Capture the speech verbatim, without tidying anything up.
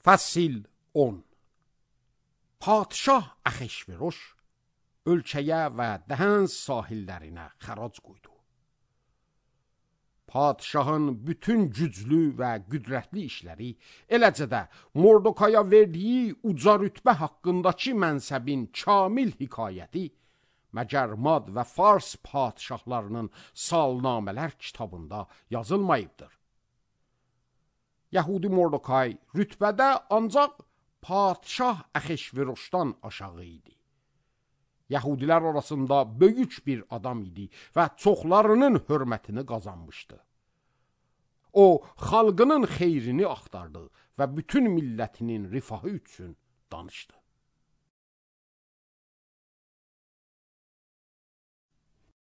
Fəsil on. Padşah Axeşveroş ölkəyə və Dəhəns sahillərinə xərac qoydu. Padşahın bütün güclü və qüdrətli işləri, eləcə də Mordokaya verdiyi uca rütbə haqqındakı mənsəbin kamil hekayəti məgər Mad və Fars padşahlarının salnamələr kitabında yazılmayıbdır. Yəhudi Mordokay rütbədə ancaq padşah Axeşveroşdan aşağı idi. Yəhudilər arasında böyük bir adam idi və çoxlarının hörmətini qazanmışdı. O, xalqının xeyrini axtardı və bütün millətinin rifahı üçün danışdı.